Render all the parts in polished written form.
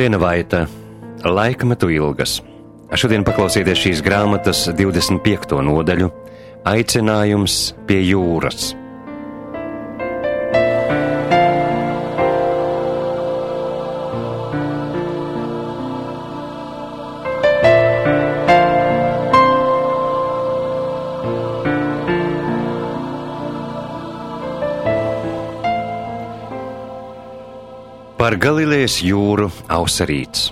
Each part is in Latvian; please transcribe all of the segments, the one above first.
Liena Vaita, Laikmetu ilgas. Šodien paklausieties šīs grāmatas 25. nodaļu – Aicinājums pie jūras. Par Galilejas jūru ausa rīts.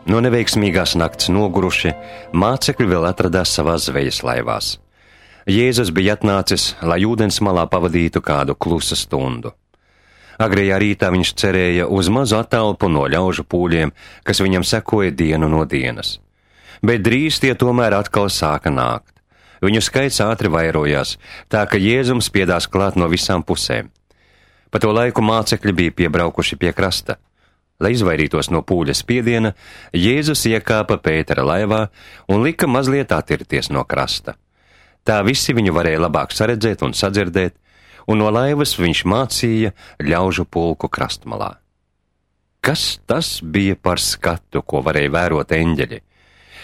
No neveiksmīgās nakts noguruši, mācekļi vēl atradās savās zvejas laivās. Jēzus bija atnācis, lai ūdens malā pavadītu kādu klusu stundu. Agrējā rītā viņš cerēja uz mazu attālpu no ļaužu pūļiem, kas viņam sekoja dienu no dienas. Bet drīz tie tomēr atkal sāka nākt. Viņu skaits ātri vairojās, tā ka Jēzums spiedās klāt no visām pusēm. Pa to laiku mācekļi bija piebraukuši pie krasta. Lai izvairītos no pūļa spiediena, Jēzus iekāpa Pētera laivā un lika mazliet attirties no krasta. Tā visi viņu varēja labāk saredzēt un sadzirdēt, un no laivas viņš mācīja ļaužu pulku krastmalā. Kas tas bija par skatu, ko varēja vērot eņģeļi?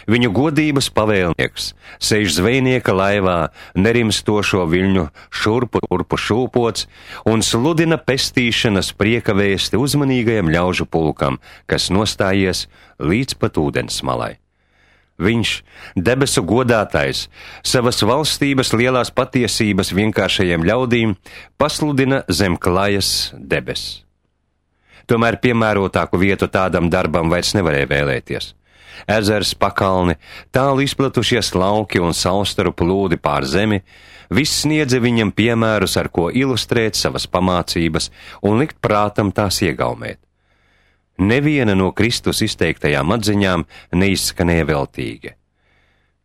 Viņu godības pavēlnieks sēž zvejnieka laivā, nerimstošo viļņu šurpu turpu šūpots un sludina pestīšanas prieka vēsti uzmanīgajam ļaužu pulkam, kas nostājies līdz pat ūdens malai. Viņš, debesu godātais, savas valstības lielās patiesības vienkāršajiem ļaudīm pasludina zem klajas debesis. Tomēr piemērotāku vietu tādam darbam vairs nevarēja vēlēties. Ezers, pakalni, tālu izplatušies lauki un saustaru plūdi pār zemi, viss sniedza viņam piemērus, ar ko ilustrēt savas pamācības un likt prātam tās iegaumēt. Neviena no Kristus izteiktajām atziņām neizskanēja veltīgi.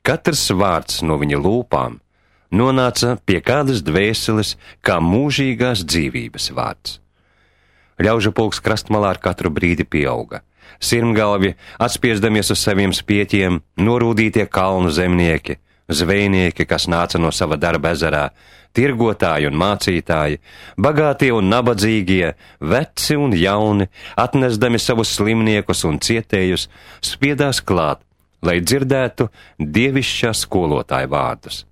Katrs vārds no viņa lūpām nonāca pie kādas dvēseles kā mūžīgās dzīvības vārds. Ļaužu pulks krastmalā ar katru brīdi pieauga. Sirmgalvi, atspiesdamies uz saviem spieķiem, norūdītie kalnu zemnieki, zvejnieki, kas nāca no sava darba ezerā, tirgotāji un mācītāji, bagātie un nabadzīgie, veci un jauni, atnesdami savus slimniekus un cietējus, spiedās klāt, lai dzirdētu dievišķā skolotāja vārdus.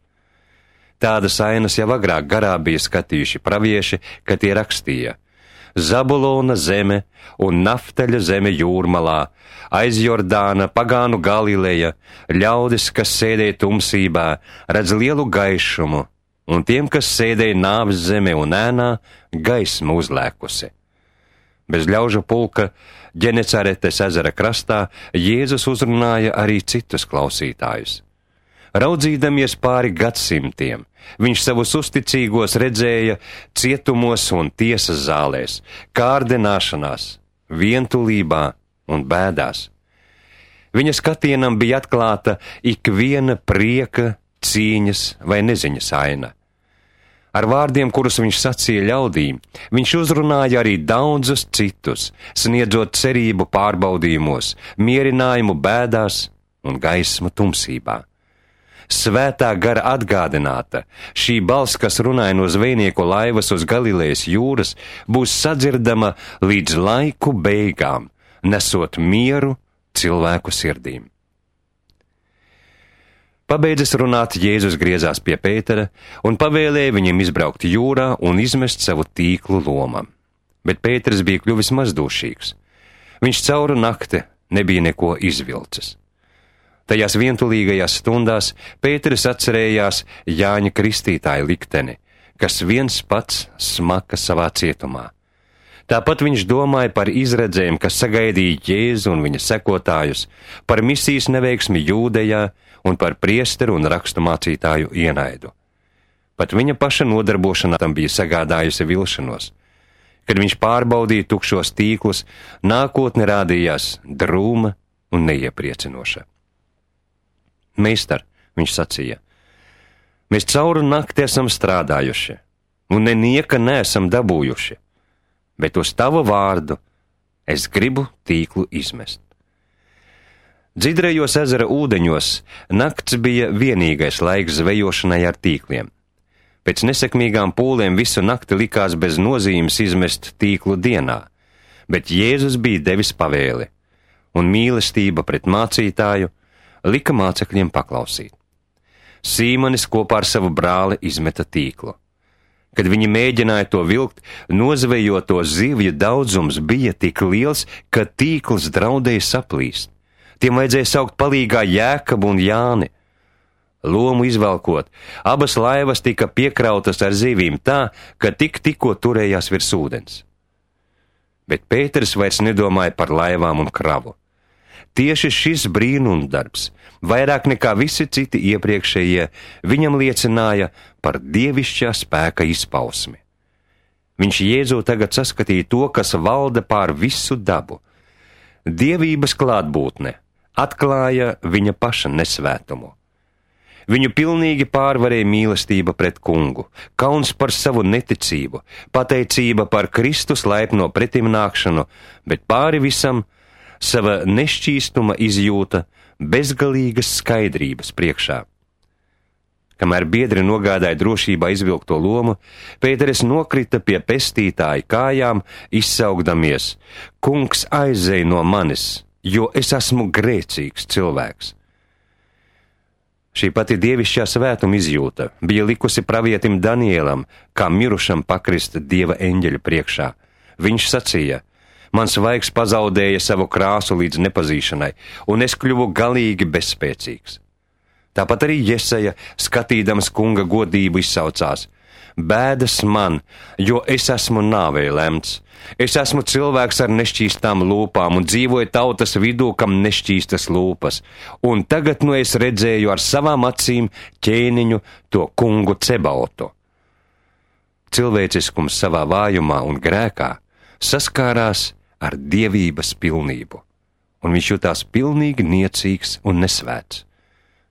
Tādas ainas jau agrāk garā bija skatījuši pravieši, kad tie rakstīja: Zabulona zeme un Naftaļa zeme jūrmalā, aiz Jordāna, pagānu Galileja, ļaudis, kas sēdēja tumsībā, redz lielu gaišumu, un tiem, kas sēdēja nāves zeme un ēnā, gaisma uzlēkusi. Bez ļaužu pulka Ģenecaretes ezera krastā Jēzus uzrunāja arī citus klausītājus. Raudzīdamies pāri gadsimtiem, viņš savus uzticīgos redzēja cietumos un tiesas zālēs, kārdināšanās, vientulībā un bēdās. Viņa skatienam bija atklāta ikviena prieka, cīņas vai neziņas aina. Ar vārdiem, kurus viņš sacīja ļaudīm, viņš uzrunāja arī daudzus citus, sniedzot cerību pārbaudījumos, mierinājumu bēdās un gaismu tumsībā. Svētā gara atgādināta, šī balss, kas runāja no zvejnieku laivas uz Galilejas jūras, būs sadzirdama līdz laiku beigām, nesot mieru cilvēku sirdīm. Pabeidzis runāt, Jēzus griezās pie Pētera un pavēlēja viņam izbraukt jūrā un izmest savu tīklu lomam. Bet Pēters bija kļuvis mazdūšīgs. Viņš cauru nakti nebija neko izvilcis. Tajās vientulīgajās stundās Pēteris atcerējās Jāņa Kristītāja likteni, kas viens pats smaka savā cietumā. Tāpat viņš domāja par izredzēm, kas sagaidīja Jēzu un viņa sekotājus, par misijas neveiksmi Jūdejā un par priesteru un raksturmācītāju ienaidu. Pat viņa paša nodarbošanās tam bija sagādājusi vilšanos. Kad viņš pārbaudīja tukšos tīklus, nākotne rādījās drūma un neiepriecinoša. Meistar, viņš sacīja, mēs cauru nakti esam strādājuši, un nenieka neesam dabūjuši, bet uz tavu vārdu es gribu tīklu izmest. Dzidrajos ezera ūdeņos nakts bija vienīgais laiks zvejošanai ar tīkliem. Pēc nesekmīgām pūlēm visu nakti likās bez nozīmes izmest tīklu dienā, bet Jēzus bija devis pavēli: un mīlestība pret mācītāju lika mācekļiem paklausīt. Sīmanis kopā ar savu brāli izmeta tīklu. Kad viņi mēģināja to vilkt, nozvejoto zivju daudzums bija tik liels, ka tīkls draudēja saplīst. Tiem vajadzēja saukt palīgā Jēkabu un Jāni. Lomu izvelkot, abas laivas tika piekrautas ar zivīm tā, ka tikko turējās virs ūdens. Bet Pēters vairs nedomāja par laivām un kravu. Tieši šis brīnumdarbs, vairāk nekā visi citi iepriekšējie, viņam liecināja par dievišķā spēka izpausmi. Viņš Jēzū tagad saskatīja to, kas valda pār visu dabu. Dievības klātbūtne atklāja viņa paša nesvētumu. Viņu pilnīgi pārvarēja mīlestība pret kungu, kauns par savu neticību, pateicība par Kristus laipno pretimnākšanu, bet pāri visam sava nešķīstuma izjūta bezgalīgas skaidrības priekšā. Kamēr biedri nogādāja drošībā izvilkto lomu, Pēteris nokrita pie pestītāja kājām, izsaugdamies: Kungs, aizej no manis, jo es esmu grēcīgs cilvēks. Šī pati dievišķā svētuma izjūta bija likusi pravietim Danielam, kā mirušam pakrist Dieva eņģeļa priekšā. Viņš sacīja: Mans vaigs pazaudēja savu krāsu līdz nepazīšanai, un es kļuvu galīgi bezspēcīgs. Tāpat arī Jesaja, skatīdams kunga godību, izsaucās: Bēdas man, jo es esmu nāvei lemts. Es esmu cilvēks ar nešķīstām lūpām un dzīvoju tautas vidū, kam nešķīstas lūpas, un tagad nu es redzēju ar savām acīm ķēniņu, to kungu Cebaotu. Cilvēciskums savā vājumā un grēkā saskārās ar dievības pilnību, un viņš jutās pilnīgi niecīgs un nesvēts.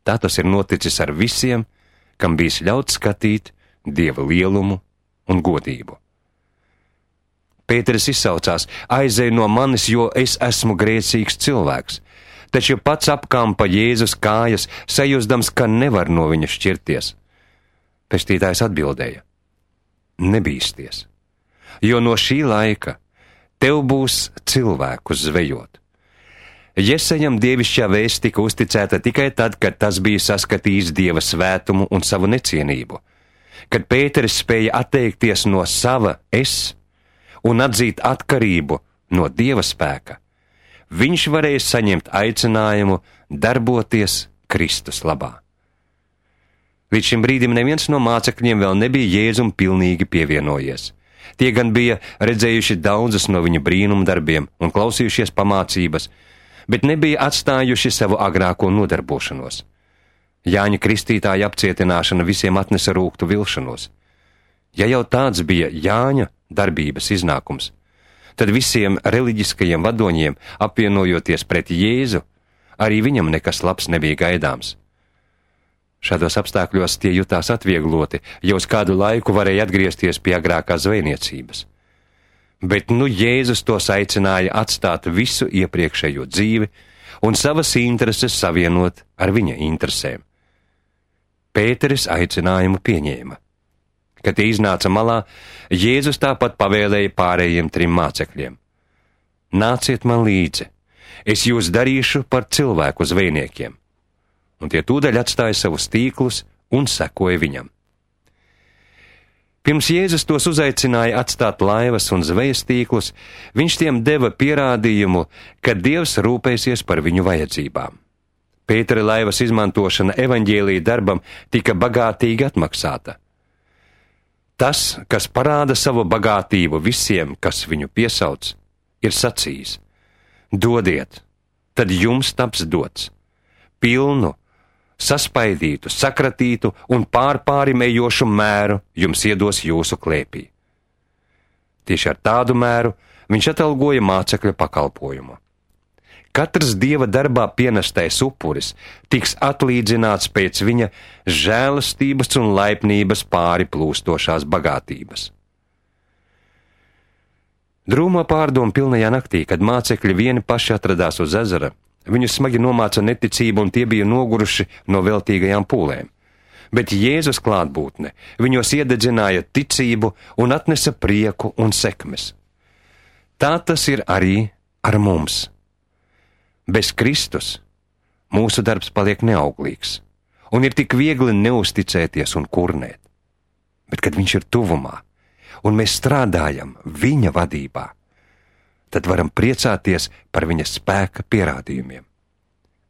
Tā tas ir noticis ar visiem, kam bijis ļauts skatīt Dieva lielumu un godību. Pēteris izsaucās: Aizej no manis, jo es esmu grēcīgs cilvēks, taču pats apkampa Jēzus kājas, sajūsdams, ka nevar no viņa šķirties. Pestītājs atbildēja: Nebīsties, jo no šī laika tev būs cilvēku zvejot. Jesajam dievišķā vēsts tika uzticēta tikai tad, kad tas bija saskatījis Dieva svētumu un savu necienību. Kad Pēteris spēja atteikties no sava es un atzīt atkarību no Dieva spēka, viņš varēja saņemt aicinājumu darboties Kristus labā. Līdz šim brīdim neviens no mācekļiem vēl nebija Jēzum pilnīgi pievienojies. Tie gan bija redzējuši daudzus no viņa brīnumdarbiem un klausījušies pamācības, bet nebija atstājuši savu agrāko nodarbošanos. Jāņa Kristītāja apcietināšana visiem atnesa rūgtu vilšanos. Ja jau tāds bija Jāņa darbības iznākums, tad visiem reliģiskajiem vadoņiem, apvienojoties pret Jēzu, arī viņam nekas labs nebija gaidāms. Šādos apstākļos tie jutās atviegloti, jo uz kādu laiku varēja atgriezties pie agrākās zvejniecības. Bet nu Jēzus tos aicināja atstāt visu iepriekšējo dzīvi un savas intereses savienot ar viņa interesēm. Pēteris aicinājumu pieņēma. Kad tie iznāca malā, Jēzus tāpat pavēlēja pārējiem 3 mācekļiem: Nāciet man līdzi, es jūs darīšu par cilvēku zvejniekiem. Un tie tūdaļ atstāja savus tīklus un sekoja viņam. Pirms Jēzus tos uzaicināja atstāt laivas un zvejas tīklus, viņš tiem deva pierādījumu, ka Dievs rūpēsies par viņu vajadzībām. Pētera laivas izmantošana evaņģēlija darbam tika bagātīgi atmaksāta. Tas, kas parāda savu bagātību visiem, kas viņu piesauc, ir sacījis: Dodiet, tad jums taps dots, pilnu, saspaidītu, sakratītu un pārpārimējošu mēru jums iedos jūsu klēpī. Tieši ar tādu mēru viņš atalgoja mācekļa pakalpojumu. Katrs Dieva darbā pienestais upuris tiks atlīdzināts pēc viņa žēlastības un laipnības pāri plūstošās bagātības. Drūmā pārdomu pilnajā naktī, kad mācekļi vieni paši atradās uz ezera, viņus smagi nomāca neticība un tie bija noguruši no veltīgajām pūlēm. Bet Jēzus klātbūtne viņos iededzināja ticību un atnesa prieku un sekmes. Tā tas ir arī ar mums. Bez Kristus mūsu darbs paliek neauglīgs, un ir tik viegli neusticēties un kurnēt. Bet, kad viņš ir tuvumā, un mēs strādājam viņa vadībā, tad varam priecāties par viņa spēka pierādījumiem.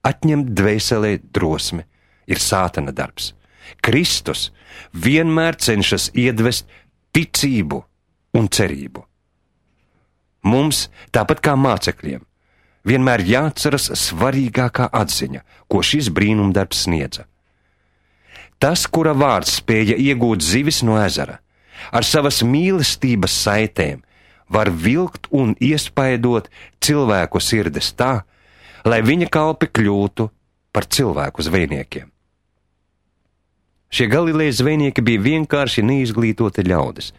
Atņemt dvēselē drosmi ir sātana darbs. Kristus vienmēr cenšas iedvest ticību un cerību. Mums, tāpat kā mācekļiem, vienmēr jāatceras svarīgākā atziņa, ko šis brīnumdarbs sniedza. Tas, kura vārds spēja iegūt zivis no ezera, ar savas mīlestības saitēm var vilkt un iespaidot cilvēku sirdis tā, lai viņa kalpi kļūtu par cilvēku zvejniekiem. Šie Galilejas zvejnieki bija vienkārši neizglītoti ļaudis,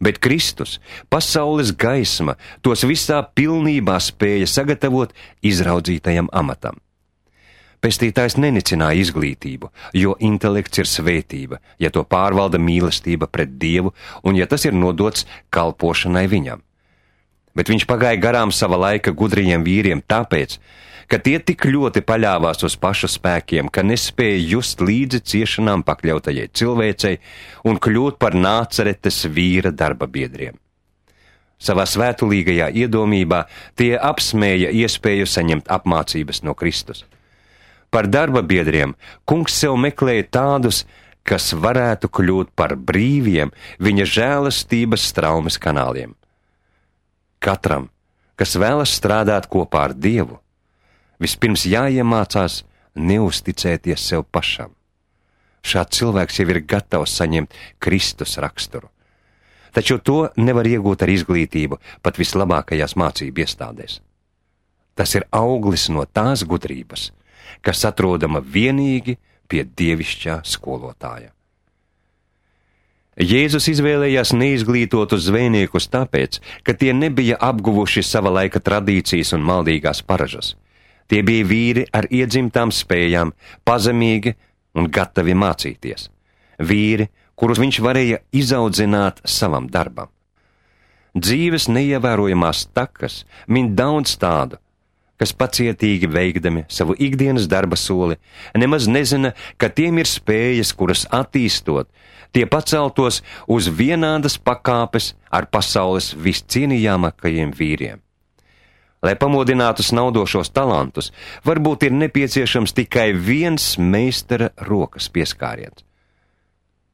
bet Kristus, pasaules gaisma, tos visā pilnībā spēja sagatavot izraudzītajam amatam. Pestītājs nenicināja izglītību, jo intelekts ir svētība, ja to pārvalda mīlestība pret Dievu un ja tas ir nodots kalpošanai viņam. Bet viņš pagāja garām sava laika gudrajiem vīriem tāpēc, ka tie tik ļoti paļāvās uz pašu spēkiem, ka nespēja just līdzi ciešanām pakļautajai cilvēcei un kļūt par Nācaretes vīra darba biedriem. Savā svētulīgajā iedomībā tie apsmēja iespēju saņemt apmācības no Kristus. Par darba biedriem kungs sev meklēja tādus, kas varētu kļūt par brīviem viņa žēlastības straumes kanāliem. Katram, kas vēlas strādāt kopā ar Dievu, vispirms jāiemācās neusticēties sev pašam. Šāds cilvēks jau ir gatavs saņemt Kristus raksturu. Taču to nevar iegūt ar izglītību pat vislabākajās mācību iestādēs. Tas ir auglis no tās gudrības, kas atrodama vienīgi pie dievišķā skolotāja. Jēzus izvēlējās neizglītotus zvejniekus tāpēc, ka tie nebija apguvuši sava laika tradīcijas un maldīgās paražas. Tie bija vīri ar iedzimtām spējām, pazemīgi un gatavi mācīties. Vīri, kurus viņš varēja izaudzināt savam darbam. Dzīves neievērojamās takas min daudz tādu, kas pacietīgi veikdami savu ikdienas darba soli, nemaz nezina, ka tiem ir spējas, kuras attīstot, tie paceltos uz vienādas pakāpes ar pasaules viscienījamākajiem vīriem. Lai pamodinātu snaudošos talantus, varbūt ir nepieciešams tikai viens meistara rokas pieskāriens.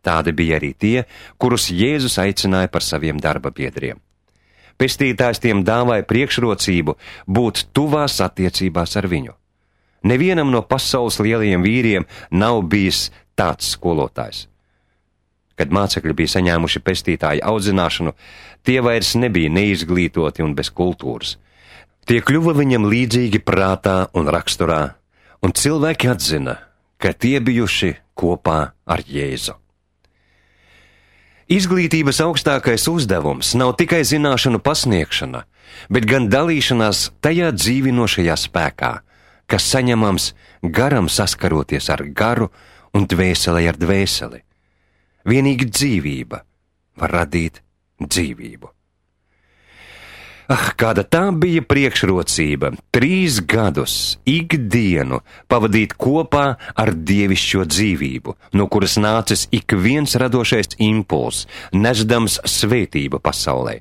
Tādi bija arī tie, kurus Jēzus aicināja par saviem darba biedriem. Pestītājs tiem dāvāja priekšrocību būt tuvās attiecībās ar viņu. Nevienam no pasaules lielajiem vīriem nav bijis tāds skolotājs. Kad mācekļi bija saņēmuši pestītāju audzināšanu, tie vairs nebija neizglītoti un bez kultūras. Tie kļuva viņam līdzīgi prātā un raksturā, un cilvēki atzina, ka tie bijuši kopā ar Jēzu. Izglītības augstākais uzdevums nav tikai zināšanu pasniegšana, bet gan dalīšanās tajā dzīvinošajā spēkā, kas saņemams garam saskaroties ar garu un dvēselei ar dvēseli. Vienīgi dzīvība var radīt dzīvību. Kāda tā bija priekšrocība 3 gadus ikdienu pavadīt kopā ar dievišķo dzīvību, no kuras nācis ik viens radošais impulss, nesdams svētību pasaulē.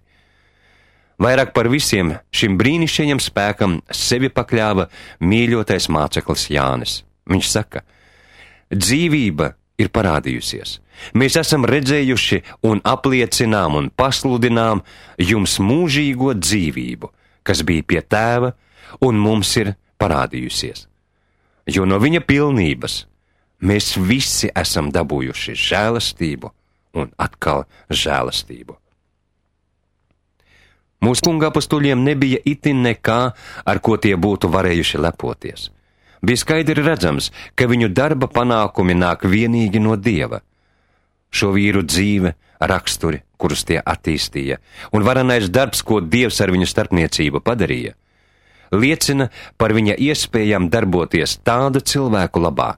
Vairāk par visiem šim brīnišķīgam spēkam sevi pakļāva mīļotais māceklis Jānis. Viņš saka: dzīvība ir parādījusies. Mēs esam redzējuši un apliecinām un pasludinām jums mūžīgo dzīvību, kas bija pie Tēva un mums ir parādījusies. Jo no viņa pilnības mēs visi esam dabūjuši žēlastību un atkal žēlastību. Mūsu kunga apostuļiem nebija itin nekā, ar ko tie būtu varējuši lepoties. Bija skaidri redzams, ka viņu darba panākumi nāk vienīgi no Dieva. Šo vīru dzīve, raksturi, kurus tie attīstīja, un varenais darbs, ko Dievs ar viņu starpniecību padarīja, liecina par viņa iespējām darboties tādu cilvēku labā,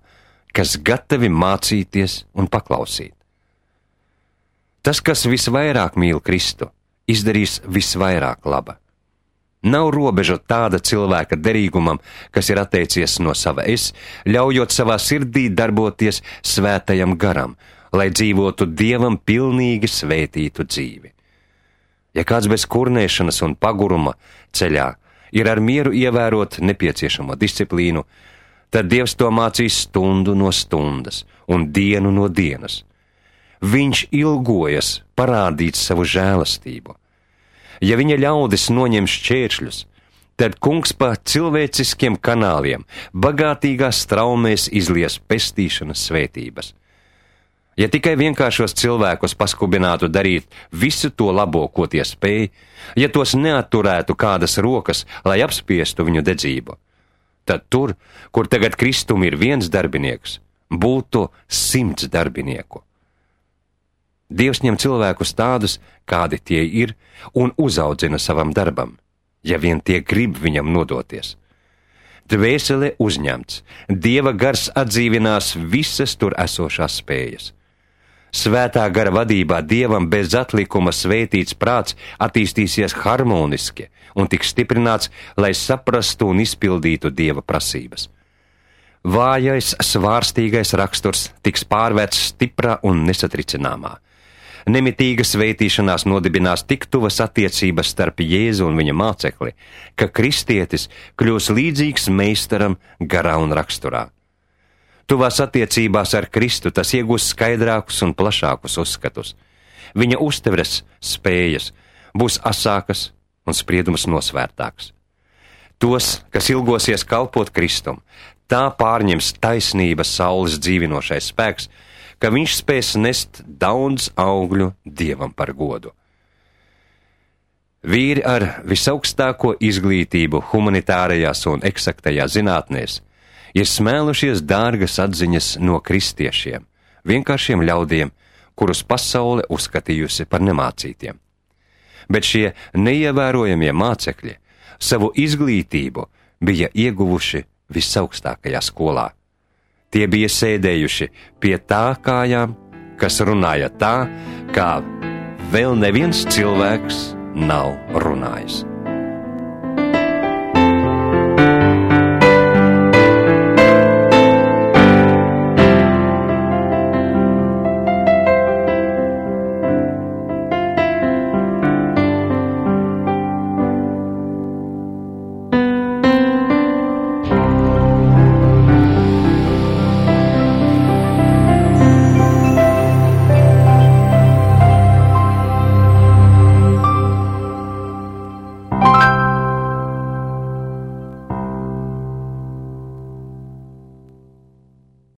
kas gatavi mācīties un paklausīt. Tas, kas visvairāk mīl Kristu, izdarīs visvairāk laba. Nav robežu tāda cilvēka derīgumam, kas ir atteicies no sava es, ļaujot savā sirdī darboties svētajam garam, lai dzīvotu Dievam pilnīgi svētītu dzīvi. Ja kāds bez kurnēšanas un paguruma ceļā ir ar mieru ievērot nepieciešamo disciplīnu, tad Dievs to mācīs stundu no stundas un dienu no dienas. Viņš ilgojas parādīt savu žēlastību. Ja viņa ļaudis noņem šķēršļus, tad Kungs pa cilvēciskiem kanāliem bagātīgās straumēs izlies pestīšanas svētības. Ja tikai vienkāršos cilvēkus paskubinātu darīt visu to labo, ko tie spēj, ja tos neatturētu kādas rokas, lai apspiestu viņu dedzību, tad tur, kur tagad Kristum ir 1 darbinieks, būtu 100 darbinieku. Dievs ņem cilvēkus tādus, kādi tie ir, un uzaudzina savam darbam, ja vien tie grib viņam nodoties. Dvēsele uzņemts, Dieva gars atdzīvinās visas tur esošās spējas. Svētā gara vadībā Dievam bez atlikuma svētīts prāts attīstīsies harmoniski un tiks stiprināts, lai saprastu un izpildītu Dieva prasības. Vājais, svārstīgais raksturs tiks pārvērts stiprā un nesatricināmā. Nemitīga svētīšanās nodibinās tik tuvas attiecības starp Jēzu un viņa mācekli, ka kristietis kļūs līdzīgs meistaram garā un raksturā. Tuvās attiecībās ar Kristu tas iegūs skaidrākus un plašākus uzskatus. Viņa uztveres spējas būs asākas un spriedums nosvērtāks. Tos, kas ilgosies kalpot Kristum, tā pārņems taisnības saules dzīvinošais spēks, ka viņš spēs nest daudz augļu Dievam par godu. Vīri ar visaugstāko izglītību humanitārajās un eksaktajās zinātnēs ir smēlušies dārgas atziņas no kristiešiem, vienkāršiem ļaudiem, kurus pasaule uzskatījusi par nemācītiem. Bet šie neievērojamie mācekļi savu izglītību bija ieguvuši visaugstākajā skolā. Tie bija sēdējuši pie tā kājām, kas runāja tā, kā vēl neviens cilvēks nav runājis.